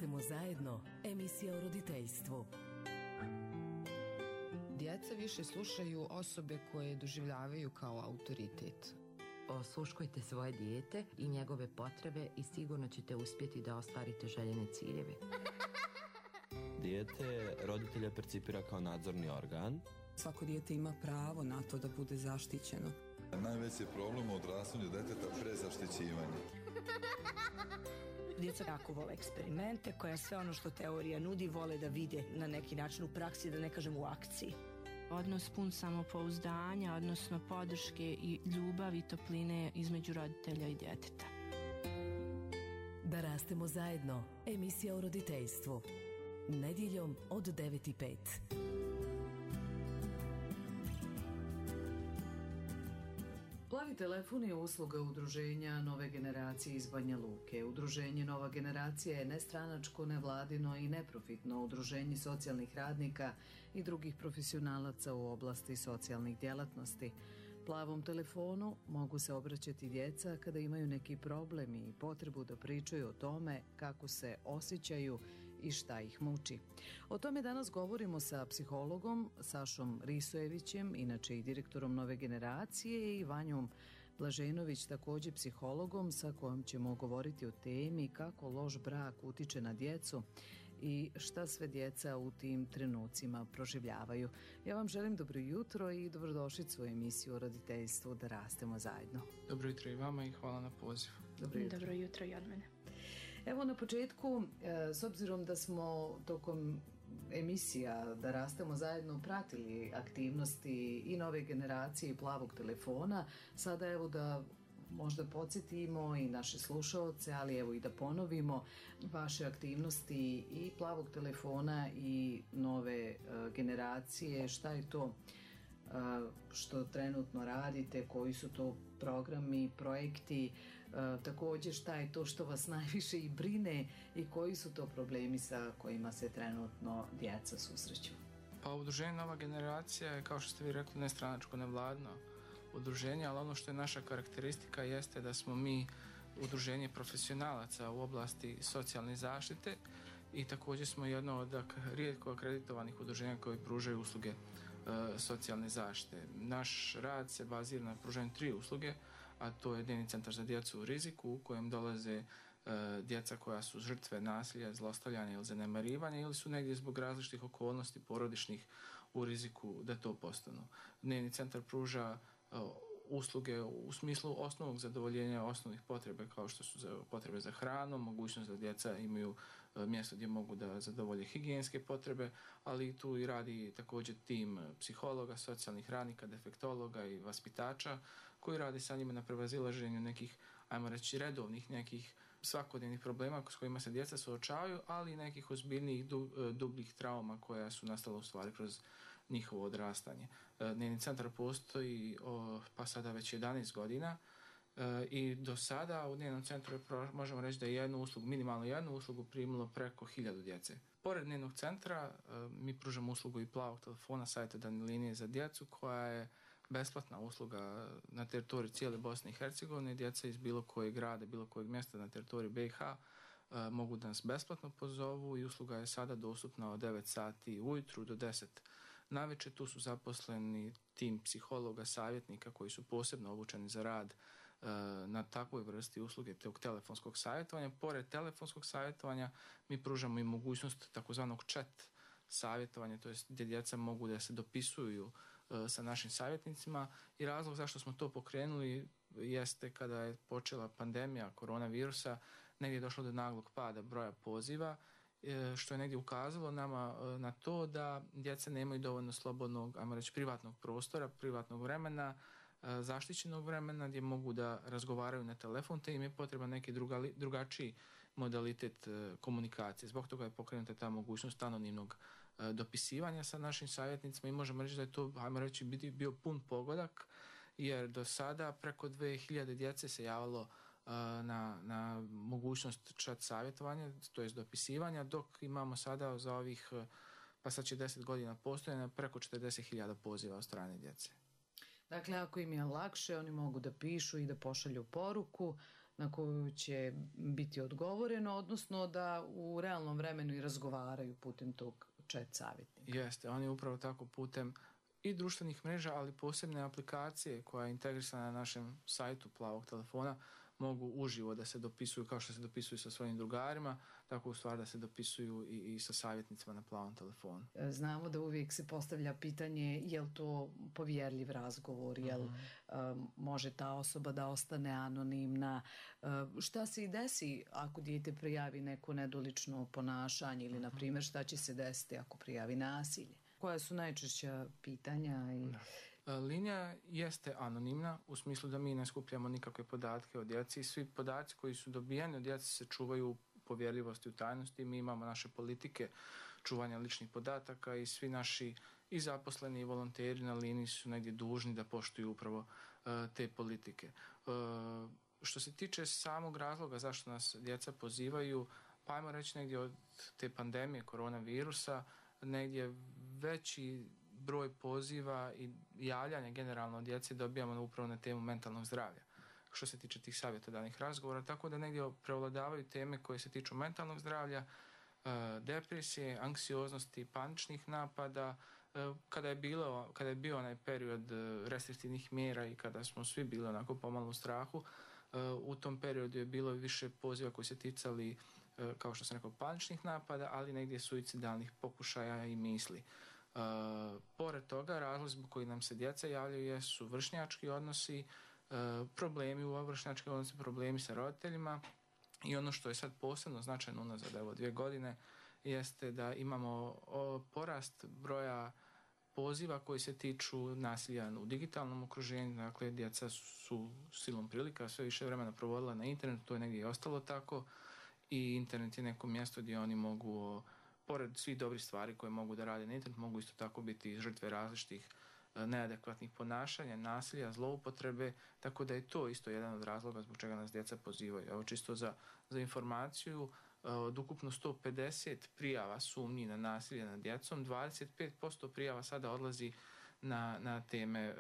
rastemo zajedno, emisija o roditeljstvu. Djeca više slušaju osobe koje doživljavaju kao autoritet. Osluškujte svoje dijete i njegove potrebe i sigurno ćete uspjeti da ostvarite željene ciljeve. Dijete roditelja percipira kao nadzorni organ. Svako dijete ima pravo na to da bude zaštićeno. Najveći je problem u odrastanju djeteta prezaštićivanje. Djeca jako vole eksperimente, koja sve ono što teorija nudi vole da vide na neki način u praksi, da ne kažem u akciji. Odnos pun samopouzdanja, odnosno podrške i ljubavi i topline između roditelja i djeteta. Da rastemo zajedno, emisija o roditeljstvu. Nedjeljom od 9:05. Plavi telefon je usluga udruženja Nove generacije iz Banja Luke. Udruženje Nova generacija je nestranačko, nevladino i neprofitno udruženje socijalnih radnika i drugih profesionalaca u oblasti socijalnih djelatnosti. Plavom telefonu mogu se obraćati djeca kada imaju neki problem i potrebu da pričaju o tome kako se osjećaju i šta ih muči. O tome danas govorimo sa psihologom Sašom Risojevićem, inače i direktorom Nove generacije, i Vanjom Blaženović, također psihologom, sa kojom ćemo govoriti o temi kako loš brak utiče na djecu i šta sve djeca u tim trenucima proživljavaju. Ja vam želim dobro jutro i dobrodošlicu u emisiju o roditeljstvu Da rastemo zajedno. Dobro jutro i vama i hvala na pozivu. Dobro jutro i od mene. Evo na početku, s obzirom da smo tokom emisija Da rastemo zajedno pratili aktivnosti i Nove generacije i Plavog telefona, sada evo da možda podsjetimo i naše slušaoce, ali evo i da ponovimo vaše aktivnosti i Plavog telefona i Nove generacije, šta je to što trenutno radite, koji su to programi, projekti, također šta je to što vas najviše i brine i koji su to problemi sa kojima se trenutno djeca susreću. Pa udruženje Nova generacija je, kao što ste vi rekli, nestranačko, nevladno udruženje, ali ono što je naša karakteristika jeste da smo mi udruženje profesionalaca u oblasti socijalne zaštite i također smo jedno od rijetko akreditovanih udruženja koji pružaju usluge socijalne zaštite. Naš rad se bazira na pružanju 3 usluge, a to je dnevni centar za djecu u riziku u kojem dolaze djeca koja su žrtve nasilja, zlostavljanja ili zanemarivanja ili su negdje zbog različitih okolnosti porodičnih u riziku da to postanu. Dnevni centar pruža usluge u smislu osnovnog zadovoljenja osnovnih potrebe kao što su potrebe za hranu, mogućnost da djeca imaju mjesto gdje mogu da zadovolje higijenske potrebe, ali tu i radi također tim psihologa, socijalnih radnika, defektologa i vaspitača koji radi sa njima na prevazilaženju nekih, ajmo reći, redovnih nekih svakodnevnih problema s kojima se djeca suočavaju, ali i nekih ozbiljnijih dubljih trauma koja su nastala u stvari kroz njihovo odrastanje. Dnevni centar postoji pa sada već 11 godina i do sada u dnevnom centru možemo reći da je minimalno jednu uslugu primilo preko 1000 djece. Pored dnevnog centra mi pružamo uslugu i Plavog telefona, savjetodavne linije za djecu koja je besplatna usluga na teritoriji cijele Bosne i Hercegovine. Djeca iz bilo kojeg grada, bilo kojeg mjesta na teritoriji BiH mogu da nas besplatno pozovu i usluga je sada dostupna od 9 sati ujutru do 10 navečer. Tu su zaposleni tim psihologa, savjetnika koji su posebno obučeni za rad na takvoj vrsti usluge tog telefonskog savjetovanja. Pored telefonskog savjetovanja mi pružamo i mogućnost takozvanog chat savjetovanja, to jest gdje djeca mogu da se dopisuju sa našim savjetnicima i razlog zašto smo to pokrenuli jeste kada je počela pandemija koronavirusa, negdje je došlo do naglog pada broja poziva, što je negdje ukazalo nama na to da djeca nemaju dovoljno slobodnog, ajmo reći, privatnog prostora, privatnog vremena, zaštićenog vremena gdje mogu da razgovaraju na telefon, te im je potreban neki drugačiji modalitet komunikacije. Zbog toga je pokrenuta ta mogućnost anonimnog dopisivanja sa našim savjetnicima i možemo reći da je to, ajmo reći, bio pun pogodak, jer do sada preko 2000 djece se javilo na mogućnost chat savjetovanja, to jest dopisivanja, dok imamo sada za ovih, pa sad će 10 godina postojanja, preko 40.000 poziva od strane djece. Dakle, ako im je lakše, oni mogu da pišu i da pošalju poruku na koju će biti odgovoreno, odnosno da u realnom vremenu i razgovaraju putem tog chat savjetnika. Jeste, oni upravo tako putem i društvenih mreža, ali posebne aplikacije koja je integrisana na našem sajtu Plavog telefona mogu uživo da se dopisuju kao što se dopisuju sa svojim drugarima, tako u stvari da se dopisuju i sa savjetnicima na Plavom telefonu. Znamo da uvijek se postavlja pitanje je li to povjerljiv razgovor, je li može ta osoba da ostane anonimna, šta se i desi ako dijete prijavi neko nedolično ponašanje ili na primjer šta će se desiti ako prijavi nasilje. Koja su najčešća pitanja? Linija jeste anonimna u smislu da mi ne skupljamo nikakve podatke o djeci. Svi podaci koji su dobijani od djece se čuvaju u povjerljivosti, u tajnosti. Mi imamo naše politike čuvanja ličnih podataka i svi naši i zaposleni i volonteri na liniji su negdje dužni da poštuju upravo te politike. Što se tiče samog razloga zašto nas djeca pozivaju, pa ajmo reći negdje od te pandemije koronavirusa, negdje veći broj poziva i javljanja generalno od djece dobijamo upravo na temu mentalnog zdravlja što se tiče tih savjetodavnih razgovora, tako da negdje prevladavaju teme koje se tiču mentalnog zdravlja, depresije, anksioznosti, paničnih napada. Kada je bio onaj period restriktivnih mjera i kada smo svi bili onako pomalo u strahu, u tom periodu je bilo više poziva koji se ticali, kao što sam rekao, paničnih napada, ali negdje suicidalnih pokušaja i misli. Pored toga, razlozi zbog koji nam se djeca javljaju su vršnjački odnosi, problemi u vršnjačkim odnosi, problemi sa roditeljima i ono što je sad posebno značajno unazad 2 godine jeste da imamo porast broja poziva koji se tiču nasilja u digitalnom okruženju. Dakle, djeca su silom prilika sve više vremena provodila na internetu, to je negdje i ostalo tako i internet je neko mjesto gdje oni mogu, pored svih dobrih stvari koje mogu da rade na internetu, mogu isto tako biti žrtve različitih neadekvatnih ponašanja, nasilja, zloupotrebe, tako da je to isto jedan od razloga zbog čega nas djeca pozivaju. Evo čisto za informaciju, od ukupno 150 prijava sumnji na nasilje nad djecom, 25% prijava sada odlazi na teme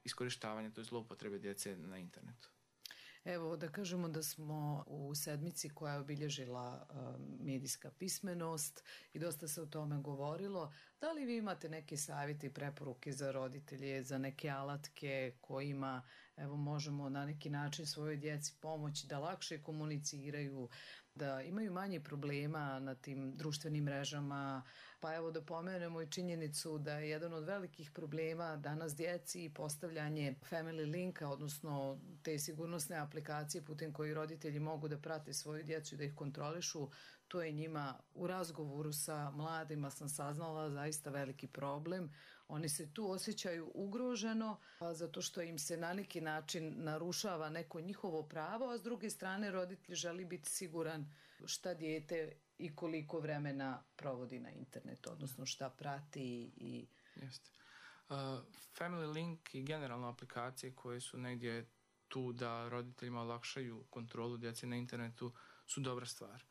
iskorištavanja, to je zloupotrebe djece na internetu. Evo da kažemo da smo u sedmici koja je obilježila medijska pismenost i dosta se o tome govorilo. Da li vi imate neke savjete i preporuke za roditelje, za neke alatke kojima možemo na neki način svojoj djeci pomoći da lakše komuniciraju, da imaju manje problema na tim društvenim mrežama? Pa evo da pomenemo i činjenicu da je jedan od velikih problema danas djeci postavljanje family linka, odnosno te sigurnosne aplikacije putem koji roditelji mogu da prate svoju djecu i da ih kontrolišu. To je njima u razgovoru sa mladima sam saznala zaista veliki problem. Oni se tu osjećaju ugroženo zato što im se na neki način narušava neko njihovo pravo, a s druge strane roditelj želi biti siguran šta dijete i koliko vremena provodi na internetu, odnosno šta prati. Jeste. Family Link i generalno aplikacije koje su negdje tu da roditeljima olakšaju kontrolu djece na internetu su dobra stvar,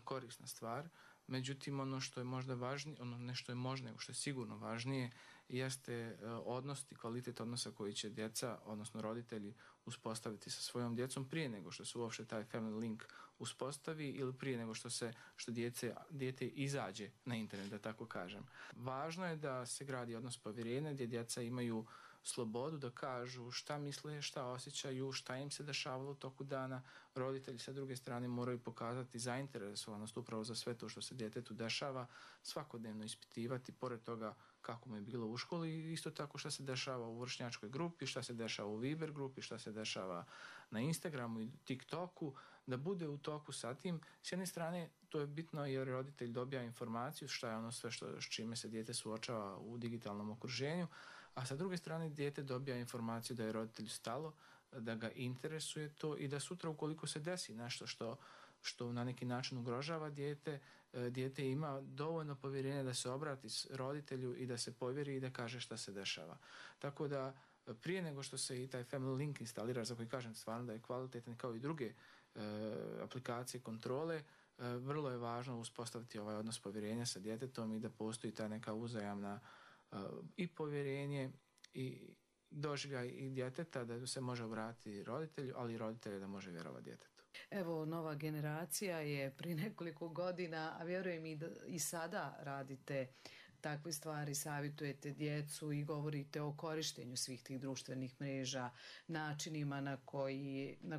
korisna stvar. Međutim, ono što je možda važnije, nešto je možda, nego što je sigurno važnije, jeste odnos i kvalitet odnosa koji će djeca, odnosno roditelji, uspostaviti sa svojom djecom prije nego što se uopšte taj family link uspostavi ili prije nego što dijete izađe na internet, da tako kažem. Važno je da se gradi odnos povjerenja gdje djeca imaju slobodu da kažu šta misle, šta osjećaju, šta im se dešavalo u toku dana. Roditelji sa druge strane moraju pokazati zainteresovanost upravo za sve to što se djetetu dešava, svakodnevno ispitivati, pored toga kako mu je bilo u školi i isto tako šta se dešava u vršnjačkoj grupi, šta se dešava u Viber grupi, šta se dešava na Instagramu i TikToku, da bude u toku sa tim. S jedne strane to je bitno jer roditelj dobija informaciju šta je ono sve s čime se dijete suočava u digitalnom okruženju, a sa druge strane dijete dobija informaciju da je roditelju stalo, da ga interesuje to i da sutra ukoliko se desi nešto što na neki način ugrožava dijete ima dovoljno povjerenja da se obrati roditelju i da se povjeri i da kaže šta se dešava. Tako da prije nego što se i taj family link instalira, za koji kažem stvarno da je kvalitetan kao i druge aplikacije kontrole, vrlo je važno uspostaviti ovaj odnos povjerenja sa djetetom i da postoji ta neka uzajamna i povjerenje i doživljaj i djeteta da se može obratiti roditelju, ali i roditelju da može vjerovati djetetu. Evo, nova generacija je prije nekoliko godina, a vjerujem i sada radite takve stvari, savjetujete djecu i govorite o korištenju svih tih društvenih mreža, načinima na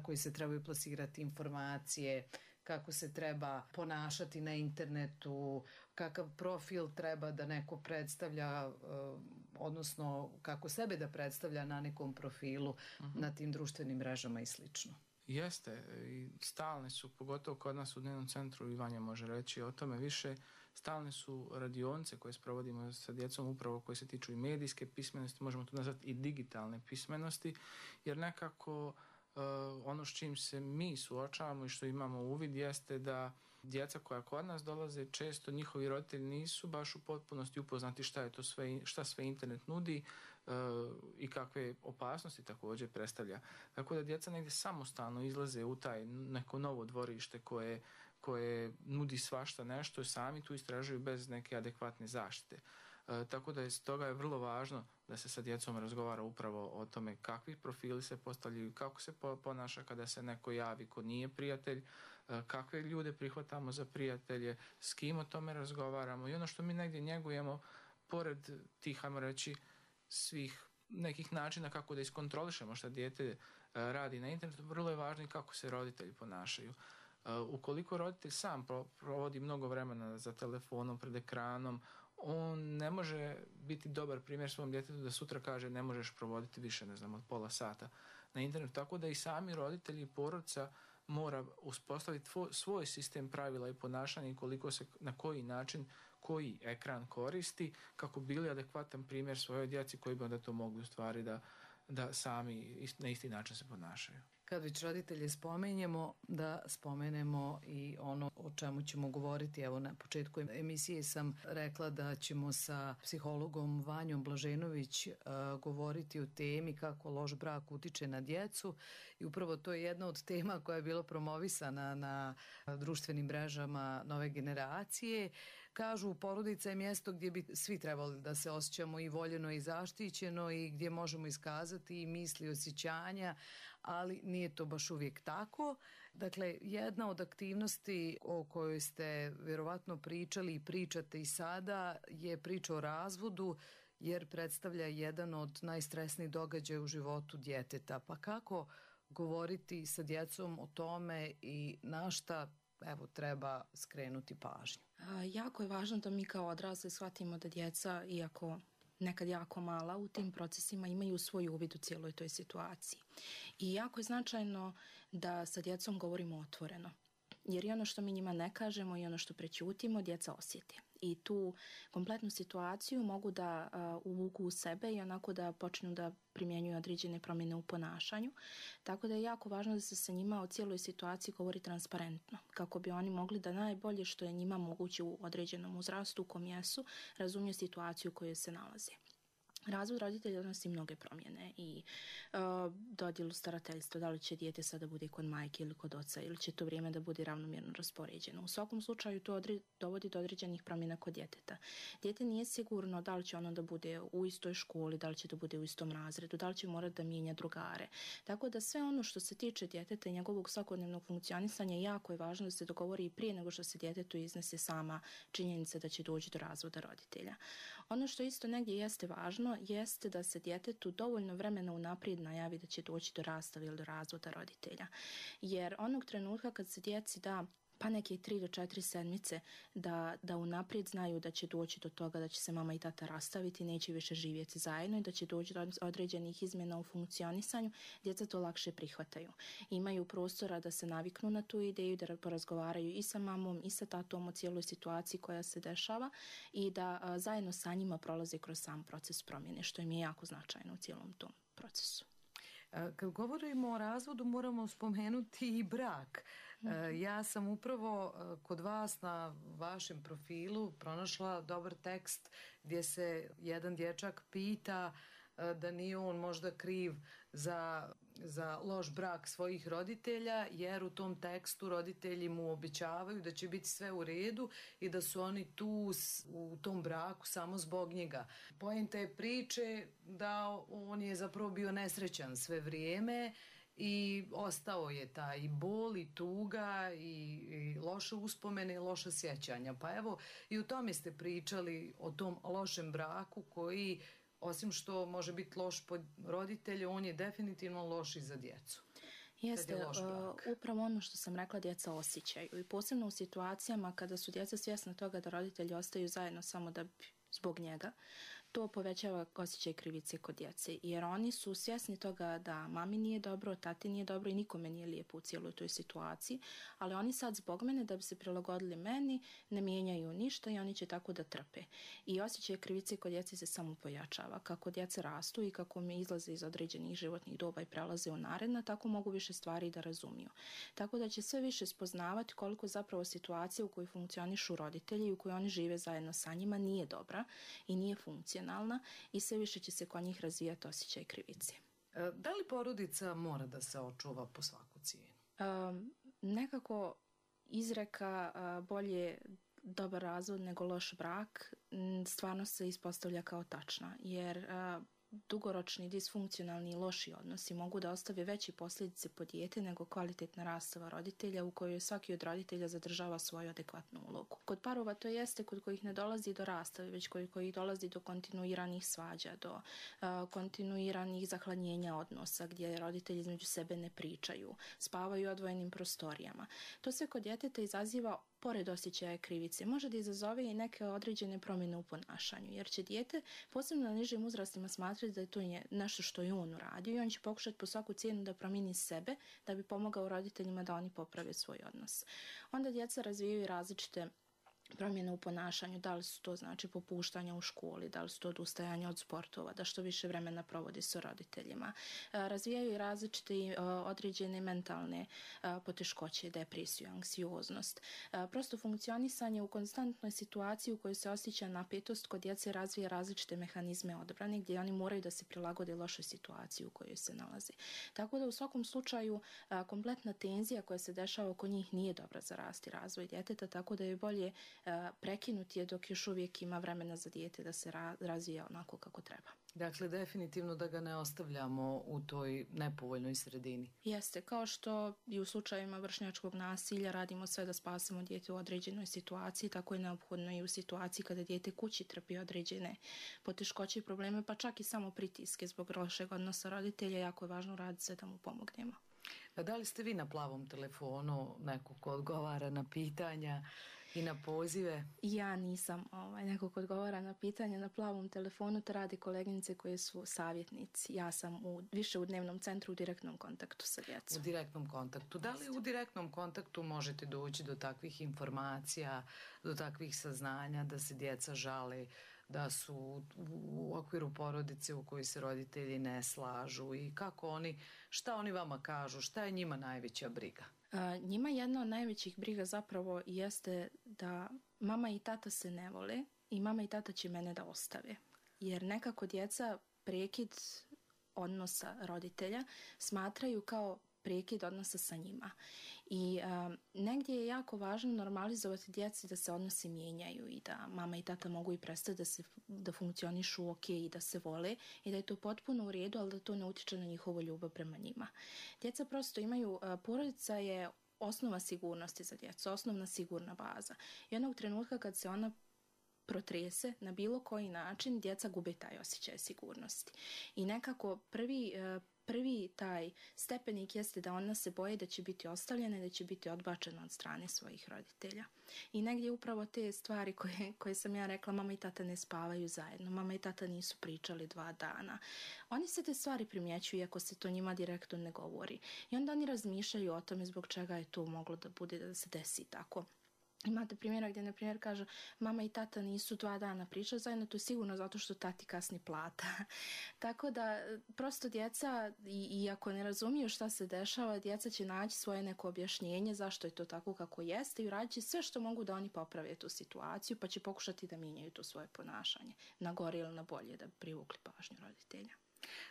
koji se trebaju plasirati informacije, kako se treba ponašati na internetu, kakav profil treba da neko predstavlja, odnosno kako sebe da predstavlja na nekom profilu na tim društvenim mrežama i slično. Jeste, i stalne su, pogotovo kod nas u dnevnom centru, i Vanja može reći o tome više, stalne su radionice koje sprovodimo sa djecom upravo koje se tiču i medijske pismenosti, možemo to nazvati i digitalne pismenosti, jer nekako ono s čim se mi suočavamo i što imamo uvid jeste da djeca koja kod nas dolaze, često njihovi roditelji nisu baš u potpunosti upoznati šta sve internet nudi i kakve opasnosti također predstavlja. Tako da djeca negdje samostalno izlaze u taj neko novo dvorište koje nudi svašta nešto i sami tu istražuju bez neke adekvatne zaštite. Tako da stoga je vrlo važno da se sa djecom razgovara upravo o tome kakvi profili se postavljaju, kako se ponaša kada se neko javi ko nije prijatelj, kakve ljude prihvatamo za prijatelje, s kim o tome razgovaramo i ono što mi negdje njegujemo pored tih, ajmo reći, svih nekih načina kako da iskontrolišemo šta dijete radi na internetu, vrlo je važno i kako se roditelji ponašaju. Ukoliko roditelj sam provodi mnogo vremena za telefonom, pred ekranom, on ne može biti dobar primjer svom djetetu da sutra kaže ne možeš provoditi više, ne znam, od pola sata na internetu. Tako da i sami roditelji i porodica mora uspostaviti svoj sistem pravila i ponašanja i koliko se, na koji način, koji ekran koristi kako bili adekvatan primjer svojoj djeci koji bi onda to mogli u stvari da sami na isti način se ponašaju. Kad već roditelje spomenemo, da spomenemo i ono o čemu ćemo govoriti. Evo, na početku emisije sam rekla da ćemo sa psihologom Vanjom Blaženović govoriti o temi kako loš brak utiče na djecu i upravo to je jedna od tema koja je bila promovisana na društvenim mrežama nove generacije. Kažu, porodica je mjesto gdje bi svi trebali da se osjećamo i voljeno i zaštićeno i gdje možemo iskazati i misli, osjećanja, ali nije to baš uvijek tako. Dakle, jedna od aktivnosti o kojoj ste vjerovatno pričali i pričate i sada je priča o razvodu, jer predstavlja jedan od najstresnijih događaja u životu djeteta. Pa kako govoriti sa djecom o tome i na šta treba skrenuti pažnju? Jako je važno da mi kao odrasli shvatimo da djeca, iako nekad jako mala, u tim procesima imaju svoj uvid u cijeloj toj situaciji. I jako je značajno da sa djecom govorimo otvoreno. Jer i ono što mi njima ne kažemo i ono što prećutimo, djeca osjete. I tu kompletnu situaciju mogu da uvuku u sebe i onako da počnu da primjenjuju određene promjene u ponašanju. Tako da je jako važno da se sa njima o cijeloj situaciji govori transparentno, kako bi oni mogli da najbolje što je njima moguće u određenom uzrastu u kom jesu, razumiju situaciju u kojoj se nalaze. Razvod roditelja donosi mnoge promjene i dodjelu starateljstva, da li će dijete sada bude kod majke ili kod oca ili će to vrijeme da bude ravnomjerno raspoređeno. U svakom slučaju to dovodi do određenih promjena kod djeteta. Dijete nije sigurno da li će ono da bude u istoj školi, da li će da bude u istom razredu, da li će morati da mijenja drugare. Tako da sve ono što se tiče djeteta i njegovog svakodnevnog funkcionisanja jako je važno da se dogovori i prije nego što se djetetu iznese sama činjenica da će doći do razvoda roditelja. Ono što isto negdje jeste važno jeste da se djetetu dovoljno vremena unaprijed najavi da će doći do rastave ili do razvoda roditelja. Jer onog trenutka kad se djeci da pa neke 3 do 4 sedmice da unaprijed znaju da će doći do toga da će se mama i tata rastaviti, neće više živjeti zajedno i da će doći do određenih izmjena u funkcionisanju, djeca to lakše prihvataju. Imaju prostora da se naviknu na tu ideju, da porazgovaraju i sa mamom i sa tatom o cijeloj situaciji koja se dešava i da zajedno sa njima prolaze kroz sam proces promjene, što im je jako značajno u cijelom tom procesu. Kad govorimo o razvodu moramo spomenuti i brak. Ja sam upravo kod vas na vašem profilu pronašla dobar tekst gdje se jedan dječak pita da nije on možda kriv za za loš brak svojih roditelja, jer u tom tekstu roditelji mu obećavaju da će biti sve u redu i da su oni tu u tom braku samo zbog njega. Poenta je priče da on je zapravo bio nesrećan sve vrijeme i ostao je taj bol i tuga i loše uspomene i loša sjećanja. Pa evo, i o tome ste pričali, o tom lošem braku koji, osim što može biti loš po roditelju, on je definitivno loš i za djecu. Jeste, upravo ono što sam rekla, djeca osjećaju i posebno u situacijama kada su djeca svjesna toga da roditelji ostaju zajedno samo da zbog njega, to povećava osjećaj krivice kod djece, jer oni su svjesni toga da mami nije dobro, tati nije dobro i nikome nije lijepo u cijeloj toj situaciji, ali oni sad zbog mene, da bi se prilagodili meni, ne mijenjaju ništa i oni će tako da trpe. I osjećaj krivice kod djece se samo pojačava. Kako djeca rastu i kako mi izlaze iz određenih životnih doba i prelaze u naredna, tako mogu više stvari da razumiju. Tako da će sve više spoznavati koliko zapravo situacija u kojoj funkcionišu roditelji i u kojoj oni žive zajedno sa njima nije dobra i nije funkcionalna i sve više će se kod njih razvijati osjećaj krivice. Da li porodica mora da se očuva po svaku cijenu? Nekako izreka bolje dobar razvod nego loš brak stvarno se ispostavlja kao tačna, jer dugoročni, disfunkcionalni i loši odnosi mogu da ostave veće posljedice po dijete nego kvalitetna rastava roditelja u kojoj svaki od roditelja zadržava svoju adekvatnu ulogu. Kod parova to jeste kod kojih ne dolazi do rastave, već kod kojih dolazi do kontinuiranih svađa, do kontinuiranih zahladnjenja odnosa gdje roditelji između sebe ne pričaju, spavaju u odvojenim prostorijama. To sve kod djeteta izaziva, pored osjećaja krivice, može da izazove i neke određene promjene u ponašanju, jer će dijete, posebno na nižim uzrastima, smatrati da je to nešto što je on uradio i on će pokušati po svaku cijenu da promijeni sebe da bi pomogao roditeljima da oni poprave svoj odnos. Onda djeca razvijaju različite promjene u ponašanju, da li su to znači popuštanja u školi, da li su to odustajanje od sportova, da što više vremena provodi sa roditeljima. Razvijaju i različite određene mentalne poteškoće, depresiju, anksioznost. Prosto funkcionisanje u konstantnoj situaciji u kojoj se osjeća napetost kod djece razvija različite mehanizme odbrane gdje oni moraju da se prilagode lošoj situaciji u kojoj se nalaze. Tako da u svakom slučaju kompletna tenzija koja se dešava oko njih nije dobra za rast i razvoj djeteta, tako da je bolje prekinuti je dok još uvijek ima vremena za dijete da se razvija onako kako treba. Dakle, definitivno da ga ne ostavljamo u toj nepovoljnoj sredini. Jeste, kao što i u slučajevima vršnjačkog nasilja radimo sve da spasimo dijete u određenoj situaciji, tako je neophodno i u situaciji kada dijete kući trpi određene poteškoće i probleme, pa čak i samo pritiske zbog lošeg odnosa roditelja, jako je važno raditi sve da mu pomognemo. Da li ste vi na plavom telefonu neko ko odgovara na pitanja i na pozive? Ja nisam neko ko odgovara na pitanja na plavom telefonu, to radi koleginice koje su savjetnici. Ja sam više u dnevnom centru u direktnom kontaktu sa djecom. U direktnom kontaktu. Da li u direktnom kontaktu možete doći do takvih informacija, do takvih saznanja da se djeca žale da su u okviru porodice u kojoj se roditelji ne slažu i šta oni vama kažu, šta je njima najveća briga? Njima jedna od najvećih briga zapravo jeste da mama i tata se ne vole i mama i tata će mene da ostave. Jer nekako djeca prekid odnosa roditelja smatraju kao prekid odnosa sa njima. I negdje je jako važno normalizovati djeci da se odnosi mijenjaju i da mama i tata mogu i prestati da funkcionišu ok i da se vole i da je to potpuno u redu, ali da to ne utječe na njihovu ljubav prema njima. Djeca prosto imaju, porodica je osnova sigurnosti za djecu, osnovna sigurna baza. I onog trenutka kad se ona protrese na bilo koji način, djeca gube taj osjećaj sigurnosti. I nekako prvi taj stepenik jeste da ona se boje da će biti ostavljena i da će biti odbačena od strane svojih roditelja. I negdje upravo te stvari koje sam ja rekla, mama i tata ne spavaju zajedno, mama i tata nisu pričali 2 dana. Oni se te stvari primjećuju iako se to njima direktno ne govori. I onda oni razmišljaju o tome zbog čega je to moglo da bude, da se desi tako. Imate primjera gdje, na primjer, kaže mama i tata nisu 2 dana pričali zajedno, to je sigurno zato što tati kasni plata. Tako da, prosto djeca, i ako ne razumiju šta se dešava, djeca će naći svoje neko objašnjenje zašto je to tako kako jeste i uradit će sve što mogu da oni poprave tu situaciju, pa će pokušati da mijenjaju to svoje ponašanje na gore ili na bolje da bi privukli pažnju roditelja.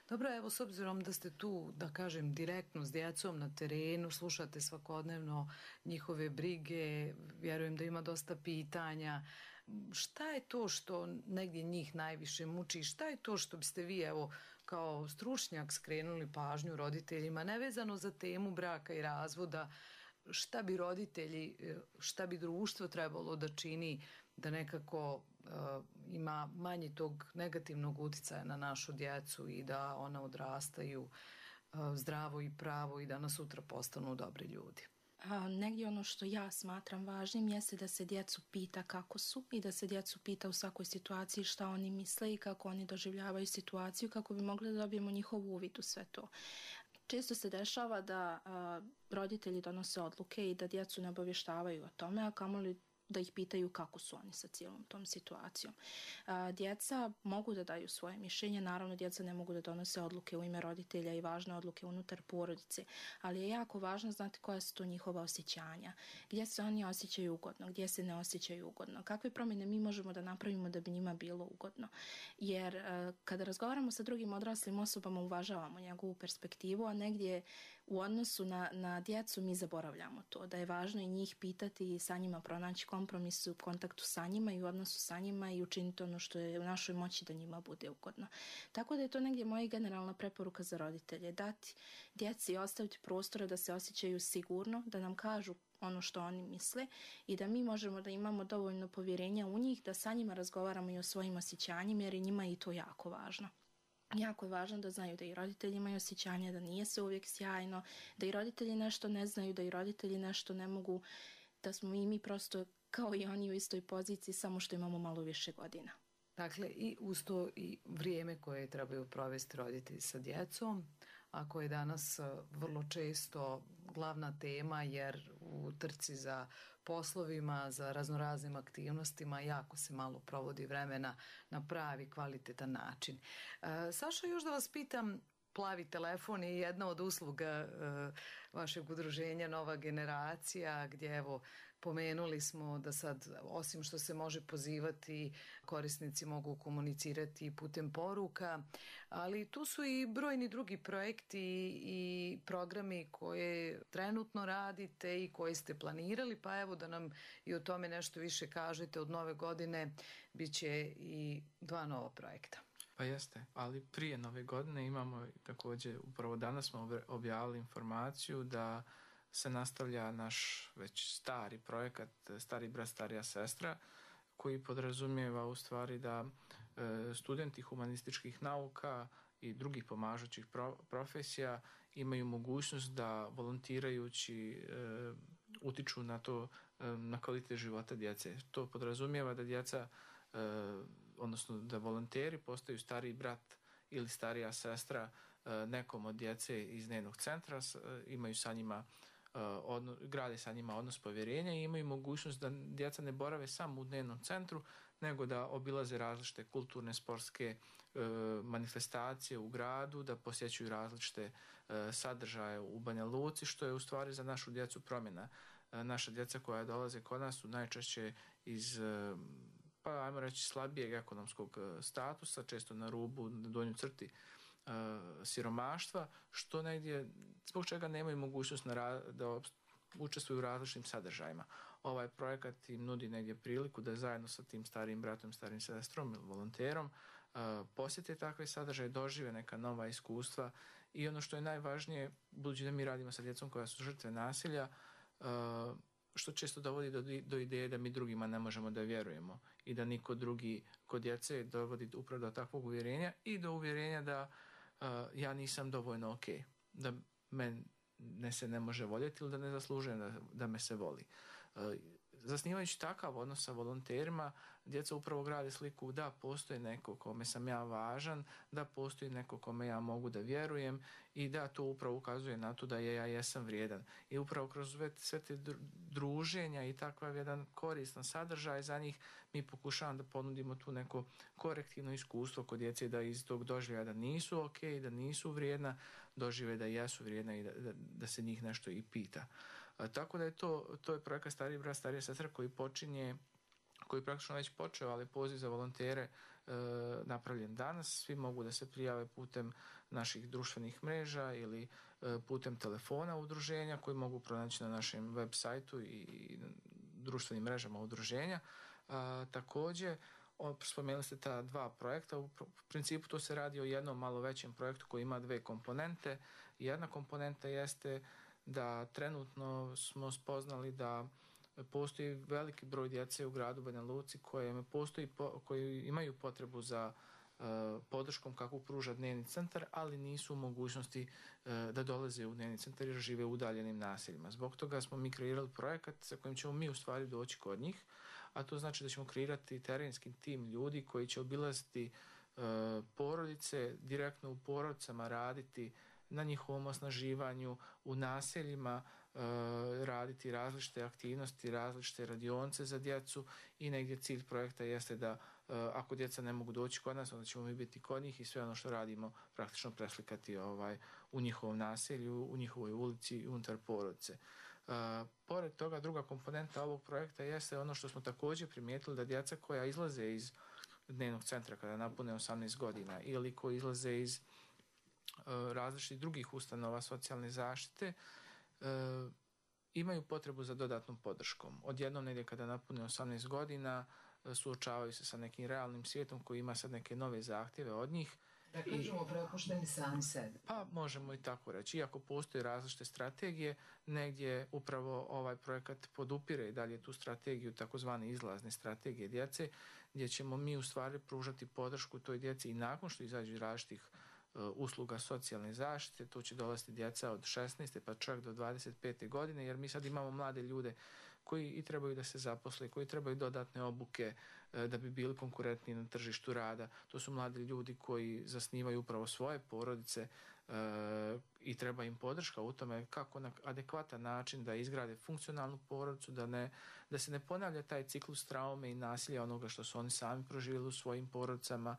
Dobro, evo, s obzirom da ste tu, da kažem, direktno s djecom na terenu, slušate svakodnevno njihove brige, vjerujem da ima dosta pitanja. Šta je to što negdje njih najviše muči? Šta je to što biste vi, evo, kao stručnjak skrenuli pažnju roditeljima, nevezano za temu braka i razvoda, šta bi roditelji, šta bi društvo trebalo da čini da nekako ima manje tog negativnog utjecaja na našu djecu i da ona odrastaju zdravo i pravo i da nas sutra postanu dobri ljudi? Negdje ono što ja smatram važnim jeste da se djecu pita kako su i da se djecu pita u svakoj situaciji šta oni misle i kako oni doživljavaju situaciju, kako bi mogli da dobijemo njihov uvid u sve to. Često se dešava da roditelji donose odluke i da djecu ne obavještavaju o tome, a kamoli da ih pitaju kako su oni sa cijelom tom situacijom. Djeca mogu da daju svoje mišljenje, naravno djeca ne mogu da donose odluke u ime roditelja i važne odluke unutar porodice, ali je jako važno znati koja su to njihova osjećanja, gdje se oni osjećaju ugodno, gdje se ne osjećaju ugodno, kakve promjene mi možemo da napravimo da bi njima bilo ugodno. Jer kada razgovaramo sa drugim odraslim osobama uvažavamo njegovu perspektivu, a negdje u odnosu na djecu mi zaboravljamo to, da je važno i njih pitati i sa njima pronaći kompromis u kontaktu sa njima i u odnosu sa njima i učiniti ono što je u našoj moći da njima bude ugodno. Tako da je to negdje moja generalna preporuka za roditelje, dati djeci i ostaviti prostora da se osjećaju sigurno, da nam kažu ono što oni misle i da mi možemo da imamo dovoljno povjerenja u njih, da sa njima razgovaramo i o svojim osjećanjima, jer je njima i to jako važno. Jako je važno da znaju da i roditelji imaju osjećanja, da nije sve uvijek sjajno, da i roditelji nešto ne znaju, da i roditelji nešto ne mogu, da smo i mi prosto kao i oni u istoj poziciji, samo što imamo malo više godina. Dakle, i uz to i vrijeme koje trebaju provesti roditelji sa djecom, a koje je danas vrlo često glavna tema, jer u trci za poslovima, za raznoraznim aktivnostima jako se malo provodi vremena na pravi, kvalitetan način. Saša, još da vas pitam, Plavi telefon je jedna od usluga vašeg udruženja Nova generacija, gdje evo pomenuli smo da sad, osim što se može pozivati, korisnici mogu komunicirati putem poruka, ali tu su i brojni drugi projekti i programi koje trenutno radite i koje ste planirali, pa evo da nam i o tome nešto više kažete. Od nove godine bit će i 2 nova projekta. Pa jeste, ali prije nove godine imamo također, upravo danas smo objavili informaciju da se nastavlja naš već stari projekat Stari brat, starija sestra, koji podrazumijeva u stvari da studenti humanističkih nauka i drugih pomažućih profesija imaju mogućnost da volontirajući utiču na to, na kvalitet života djece. To podrazumijeva da djeca, odnosno da volonteri postaju stariji brat ili starija sestra nekom od djece iz dnevnog centra, imaju sa njima grade sa njima odnos povjerenja i imaju mogućnost da djeca ne borave samo u dnevnom centru, nego da obilaze različite kulturne, sportske manifestacije u gradu, da posjećuju različite sadržaje u Banja Luci, što je u stvari za našu djecu promjena. Naša djeca koja dolaze kod nas su najčešće iz, pa ajmo reći, slabijeg ekonomskog statusa, često na rubu, na donjoj crti siromaštva, što negdje, zbog čega nemaju mogućnost da učestvuju u različitim sadržajima. Ovaj projekat im nudi negdje priliku da zajedno sa tim starijim bratom, starijim sestrom ili volonterom posjete takve sadržaje, dožive neka nova iskustva i ono što je najvažnije, budući da mi radimo sa djecom koja su žrtve nasilja, što često dovodi do ideje da mi drugima ne možemo da vjerujemo i da niko drugi kod djece dovodi upravo do takvog uvjerenja i do uvjerenja da ja nisam dovoljno ok, da mene se ne može voljeti ili da ne zaslužujem da me se voli. Zasnivajući takav odnos sa volonterima, djeca upravo grade sliku da postoji neko kome sam ja važan, da postoji neko kome ja mogu da vjerujem i da to upravo ukazuje na to da ja jesam vrijedan. I upravo kroz sve te druženja i takav jedan koristan sadržaj za njih mi pokušavamo da ponudimo tu neko korektivno iskustvo kod djece, da iz tog doživljaja da nisu ok, da nisu vrijedna, dožive da jesu vrijedna i da se njih nešto i pita. Tako da je to je projekat Stariji brat, starija sestra koji počinje koji praktično već počeo, ali poziv za volontere napravljen danas. Svi mogu da se prijave putem naših društvenih mreža ili putem telefona udruženja koji mogu pronaći na našem web sajtu i društvenim mrežama udruženja. Također, spomenuli ste ta dva projekta. U principu to se radi o jednom malo većem projektu koji ima dve komponente. Jedna komponenta jeste da trenutno smo spoznali da postoji veliki broj djece u gradu Banja Luci koji imaju potrebu za podrškom kakvu pruža dnevni centar, ali nisu u mogućnosti da dolaze u dnevni centar jer žive u udaljenim naseljima. Zbog toga smo mi kreirali projekat sa kojim ćemo mi u stvari doći kod njih, a to znači da ćemo kreirati terenski tim ljudi koji će obilaziti porodice, direktno u porodicama raditi na njihovom osnaživanju, u naseljima raditi različite aktivnosti, različite radionice za djecu i negdje cilj projekta jeste da ako djeca ne mogu doći kod nas, onda ćemo mi biti kod njih i sve ono što radimo praktično preslikati u njihovom naselju, u njihovoj ulici i unutar porodice. Pored toga, druga komponenta ovog projekta jeste ono što smo također primijetili, da djeca koja izlaze iz dnevnog centra kada napune 18 godina ili koji izlaze iz različitih drugih ustanova socijalne zaštite imaju potrebu za dodatnom podrškom. Odjednom negdje kada napune 18 godina suočavaju se sa nekim realnim svijetom koji ima sad neke nove zahtjeve od njih. Da kažemo prepušteni sami sebi. Pa možemo i tako reći. Iako postoje različite strategije, negdje upravo ovaj projekat podupire i dalje tu strategiju, takozvane izlazne strategije djece, gdje ćemo mi u stvari pružati podršku toj djeci i nakon što izađu iz različitih usluga socijalne zaštite. To će dolaziti djeca od 16. pa čak do 25. godine, jer mi sad imamo mlade ljude koji i trebaju da se zaposle, koji trebaju dodatne obuke da bi bili konkurentni na tržištu rada. To su mladi ljudi koji zasnivaju upravo svoje porodice i treba im podrška u tome kako na adekvatan način da izgrade funkcionalnu porodicu, da se ne ponavlja taj ciklus traume i nasilja onoga što su oni sami proživjeli u svojim porodicama.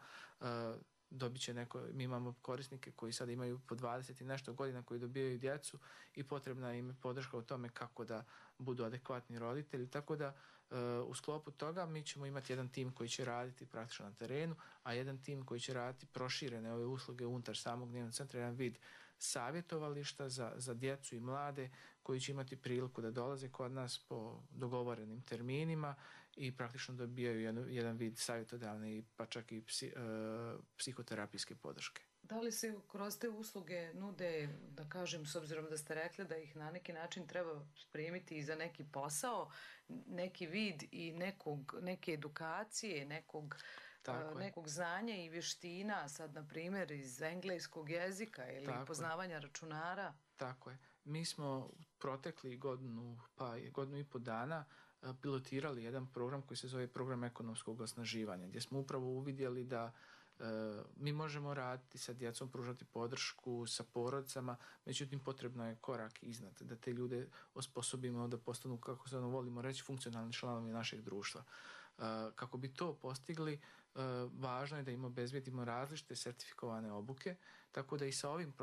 Dobit će mi imamo korisnike koji sad imaju po 20 i nešto godina koji dobijaju djecu i potrebna im je podrška u tome kako da budu adekvatni roditelji, tako da u sklopu toga mi ćemo imati jedan tim koji će raditi praktično na terenu, a jedan tim koji će raditi proširene ove usluge unutar samog dnevnog centra, jedan vid savjetovališta za djecu i mlade koji će imati priliku da dolaze kod nas po dogovorenim terminima i praktično dobijaju jedan vid savjetodavne pa čak i psihoterapijske podrške. Da li se kroz te usluge nude, da kažem, s obzirom da ste rekli da ih na neki način treba spremiti i za neki posao, neki vid i neke edukacije, nekog znanja i vještina, sad na primjer iz engleskog jezika ili poznavanja računara? Tako je. Mi smo protekli godinu i po dana pilotirali jedan program koji se zove program ekonomskog osnaživanja, gdje smo upravo uvidjeli da mi možemo raditi sa djecom, pružati podršku sa porodicama, međutim potrebno je korak iznad, da te ljude osposobimo da postanu, kako se volimo reći, funkcionalni članovi našeg društva. Kako bi to postigli, važno je da im obezbedimo različite sertifikovane obuke, tako da i sa ovim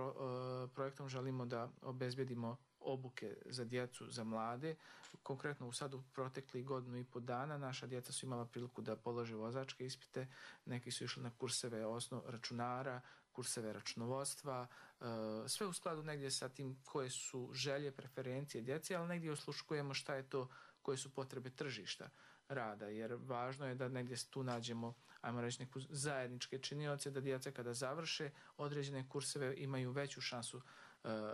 projektom želimo da obezbedimo obuke za djecu, za mlade. Konkretno sad u protekli godinu i po dana naša djeca su imala priliku da polože vozačke ispite, neki su išli na kurseve računara, kurseve računovodstva, sve u skladu negdje sa tim koje su želje, preferencije djece, ali negdje osluškujemo šta je to, koje su potrebe tržišta rada, jer važno je da negdje tu nađemo, ajmo reći, neku zajedničke činioce, da djeca kada završe određene kurseve imaju veću šansu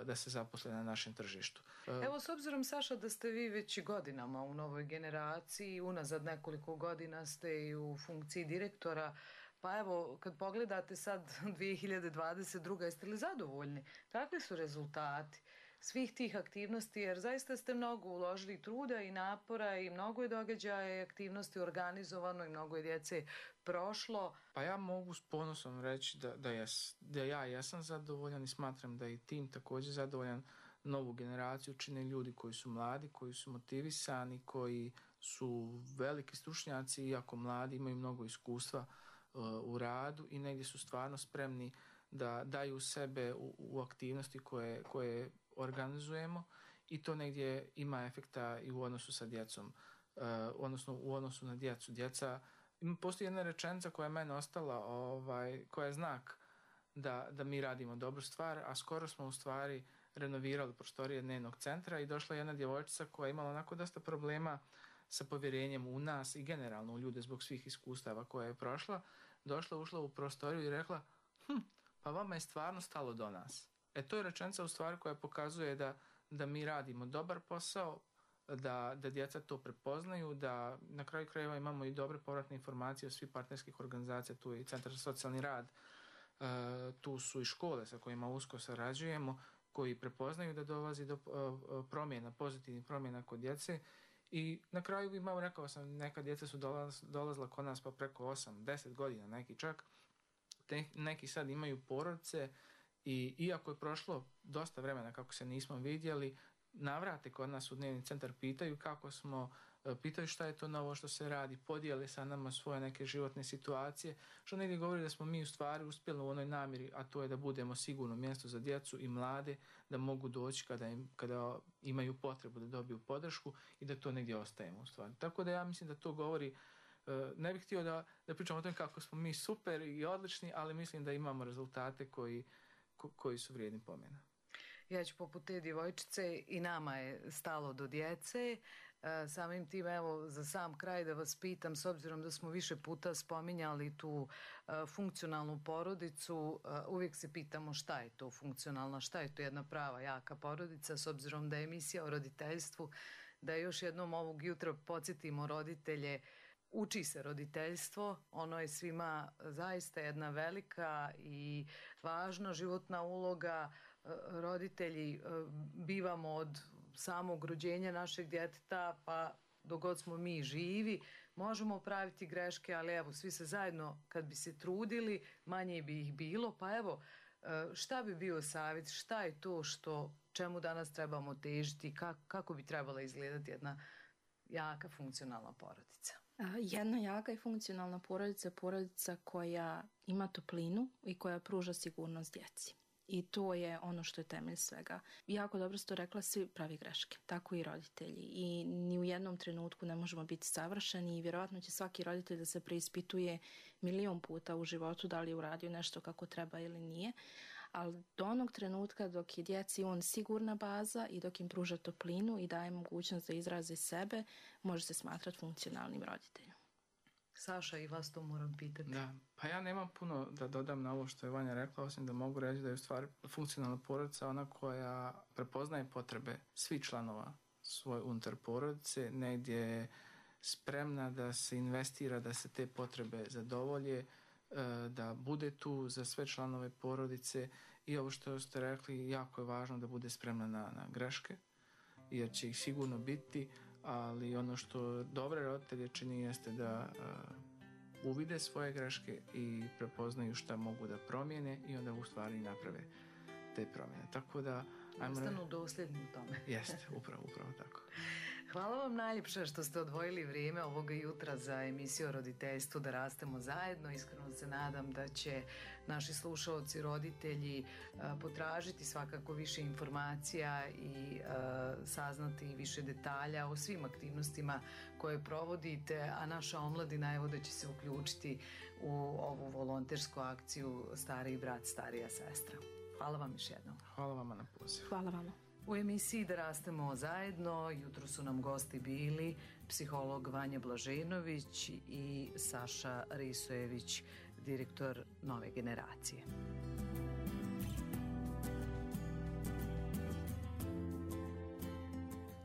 da se zaposle na našem tržištu. Evo, s obzirom, Saša, da ste vi već godinama u novoj generaciji, unazad nekoliko godina ste i u funkciji direktora, pa evo, kad pogledate sad 2022. jeste li zadovoljni? Kakvi su rezultati svih tih aktivnosti, jer zaista ste mnogo uložili truda i napora i mnogo je događaja i aktivnosti organizovano i mnogo je djece prošlo. Pa ja mogu s ponosom reći da ja jesam zadovoljan i smatram da je i tim također zadovoljan. Novu generaciju čine ljudi koji su mladi, koji su motivisani, koji su veliki stručnjaci, iako mladi imaju mnogo iskustva u radu i negdje su stvarno spremni da daju sebe u aktivnosti koje organizujemo i to negdje ima efekta i u odnosu sa djecom. odnosno u odnosu na djecu. Postoji jedna rečenica koja je meni ostala, koja je znak da mi radimo dobru stvar, a skoro smo u stvari renovirali prostorije dnevnog centra i došla jedna djevojčica koja je imala onako dosta problema sa povjerenjem u nas i generalno u ljude zbog svih iskustava koje je prošla. Ušla u prostoriju i rekla, pa vama je stvarno stalo do nas. To je rečenica u stvari koja pokazuje da mi radimo dobar posao, da djeca to prepoznaju, da na kraju krajeva imamo i dobre povratne informacije od svih partnerskih organizacija, tu je i Centar za socijalni rad, tu su i škole sa kojima usko sarađujemo, koji prepoznaju da dolazi do promjena, pozitivnih promjena kod djece. I na kraju rekao sam, neka djeca su dolazila kod nas pa preko 8-10 godina, neki čak. Neki sad imaju porodice i iako je prošlo dosta vremena kako se nismo vidjeli, navrate kod nas u dnevni centar, pitaju kako smo, pitaju šta je to novo što se radi, podijele sa nama svoje neke životne situacije, što negdje govori da smo mi u stvari uspjeli u onoj namjeri, a to je da budemo sigurno mjesto za djecu i mlade, da mogu doći kada imaju potrebu da dobiju podršku i da to negdje ostajemo u stvari. Tako da ja mislim da to govori, ne bih htio da pričamo o tome kako smo mi super i odlični, ali mislim da imamo rezultate koji su vrijedni pomena. Ja ću poput te djevojčice, i nama je stalo do djece. Samim tim, evo, za sam kraj da vas pitam, s obzirom da smo više puta spominjali tu funkcionalnu porodicu, uvijek se pitamo šta je to funkcionalna, šta je to jedna prava jaka porodica, s obzirom da je emisija o roditeljstvu, da još jednom ovog jutra podsjetimo roditelje. Uči se roditeljstvo, ono je svima zaista jedna velika i važna životna uloga. Roditelji bivamo od samog rođenja našeg djeteta pa dok god smo mi živi, možemo praviti greške, ali evo, svi se zajedno kad bi se trudili, manje bi ih bilo, pa evo, šta bi bio savjet, šta je to čemu danas trebamo težiti, kako bi trebala izgledati jedna jaka funkcionalna porodica? Jedna jaka i funkcionalna porodica je porodica koja ima toplinu i koja pruža sigurnost djeci. I to je ono što je temelj svega. Jako dobro ste to rekla, svi pravi greške, tako i roditelji. I ni u jednom trenutku ne možemo biti savršeni i vjerojatno će svaki roditelj da se preispituje 1.000.000 puta u životu da li je uradio nešto kako treba ili nije. Ali do onog trenutka dok je djeci on sigurna baza i dok im pruža toplinu i daje mogućnost da izraze sebe, može se smatrati funkcionalnim roditeljom. Saša, i vas to moram pitati. Da, pa ja nemam puno da dodam na ovo što je Vanja rekla, osim da mogu reći da je u stvari funkcionalna porodica ona koja prepoznaje potrebe svih članova svoje unutar porodice, negdje je spremna da se investira, da se te potrebe zadovolje, da bude tu za sve članove porodice i ovo što ste rekli, jako je važno da bude spremna na greške, jer će ih sigurno biti, ali ono što dobre roditelje čini jeste da uvide svoje greške i prepoznaju šta mogu da promijene i onda u stvari naprave te promjene. Tako da ostanu dosljedni u tome. Jeste, upravo tako. Hvala vam najljepše što ste odvojili vrijeme ovoga jutra za emisiju o roditeljstvu Da rastemo zajedno. Iskreno se nadam da će naši slušaoci, roditelji potražiti svakako više informacija i saznati više detalja o svim aktivnostima koje provodite, a naša omladina evo da će se uključiti u ovu volontersku akciju Stariji brat, starija sestra. Hvala vam još jednom. Hvala vama na pozivu. Hvala vama. U emisiji Da rastemo zajedno jutro su nam gosti bili psiholog Vanja Blaženović i Saša Risojević, direktor Nove generacije.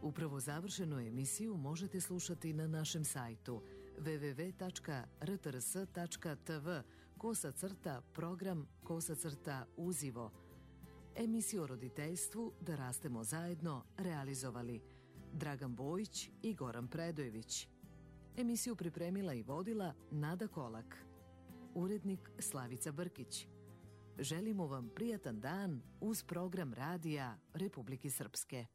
Upravo završenu emisiju možete slušati na našem sajtu www.rtrs.tv/program/uzivo. Emisiju o roditeljstvu Da rastemo zajedno realizovali Dragan Bojić i Goran Predojević. Emisiju pripremila i vodila Nada Kolak. Urednik Slavica Brkić. Želimo vam prijatan dan uz program radija Republike Srpske.